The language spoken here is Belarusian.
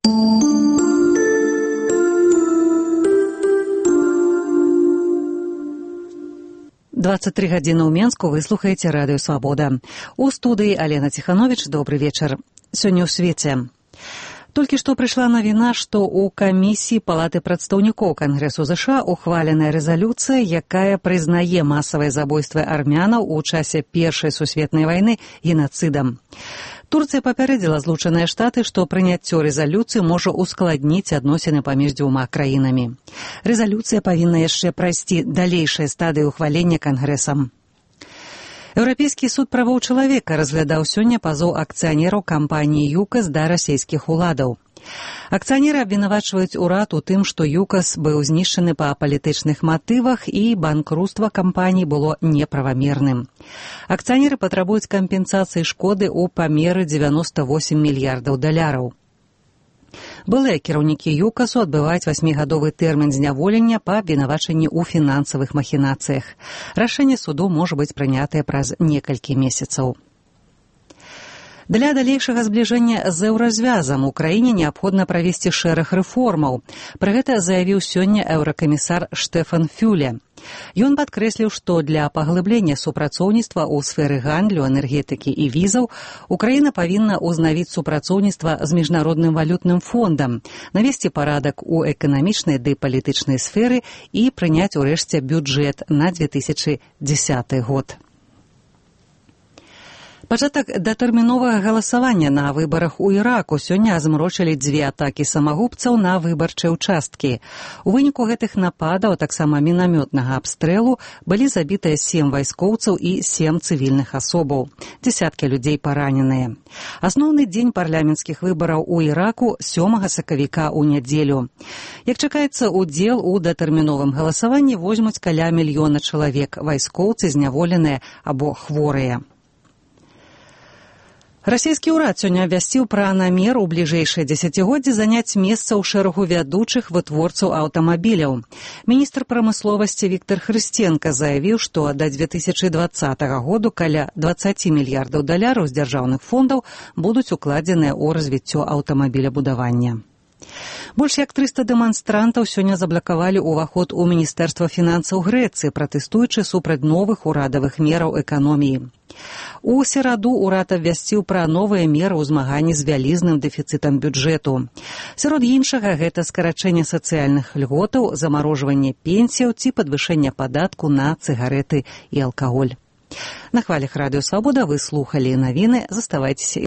23 гадзіны ў Менску, вы слухаеце радыё «Свабода». У студыі Алена Ціхановіч, добры вечар. Сёння ў свеце. Толькі што прыйшла навіна, што ў камісіі Палаты прадстаўнікоў Кангрэсу ЗША ухваленая рэзалюцыя, якая прызнае масавыя забойствы армянаў у часе Першай сусветнай вайны генацыдам. Турцыя папярэдзіла Злучаныя Штаты, што прыняццё рэзалюцыі можа ускладніць адносіны паміж дзвюма краінамі. Рэзалюцыя павінна яшчэ прайсці далейшыя стадыі ухвалення Кангрэсам. Еўрапейскі суд правоў чалавека разглядаў сёння пазоў акцыянераў кампаніі «ЮКАС» да расійскіх уладаў. Акцыянеры абвінавачваюць урад у тым, што «ЮКАС» быў знішчаны па палітычных матывах і банкруцтва кампаніі было неправамерным. Акцыянеры патрабуюць кампенсацыі шкоды ў памеры 98 мільярдаў даляраў. Былыя кіраўнікі «ЮКАСу» адбываюць 8-гадовы тэрмін зняволення па абвінавачанні ў фінансавых махінацыях. Рашэнне суду можа быць прынятае праз некалькі месяцаў. Для далейшага збліжэння з еўразвязам у краіне неабходна правесці шэраг рэформаў. Пра гэта заявіў сёння еўракамісар Штефан Фюле. Ён падкрэсліў, што для паглыблення супрацоўніцтва ў сферы гандлю, энергетыкі і візаў Украіна павінна ўзнавіць супрацоўніцтва з міжнародным валютным фондам, навесці парадак у эканамічнай ды палітычнай сферы і прыняць урэшце бюджэт на 2010 год. Пачатак датэрміновага галасавання на выбарах у Іраку сёння змрочылі 2 атакі самагубцаў на выбарчыя ўчасткі. У выніку гэтых нападаў, таксама мінамётнага абстрэлу, былі забітыя 7 вайскоўцаў і 7 цывільных асобаў. Дзесяткі людзей параненыя. Асноўны дзень парламенцкіх выбараў у Іраку 7 сакавіка ў нядзелю. Як чакаецца, удзел у датэрміновым галасаванні возьмуць каля 1 мільёна чалавек, вайскоўцы, зняволеныя або хворыя. Расійскі ўрад сёння абвясціў пра намер у бліжэйшае дзесяцігоддзе заняць месца ў шэрагу вядучых вытворцаў аўтамабіляў. Міністр прамысловасці Віктор Хрысценка заявіў, што да 2020 году каля 20 мільярдаў даляраў з дзяржаўных фондаў будуць укладзеныя ў развіццё аўтамабілябудавання. Больш як 300 дэманстрантаў сёння заблакавалі ўваход у Міністэрства фінансаў Грэцыі, пратэстуючы супраць новых урадавых мераў эканоміі. У сераду ўрад абвясціў пра новыя меры ў змаганні з вялізным дэфіцытам бюджэту. Сярод іншага, гэта скарачэнне сацыяльных льготаў, замарожванне пенсіяў ці падвышэнне падатку на цыгарэты і алкаголь. На хвалях радыё «Свабода» вы слухалі навіны. Заставайцеся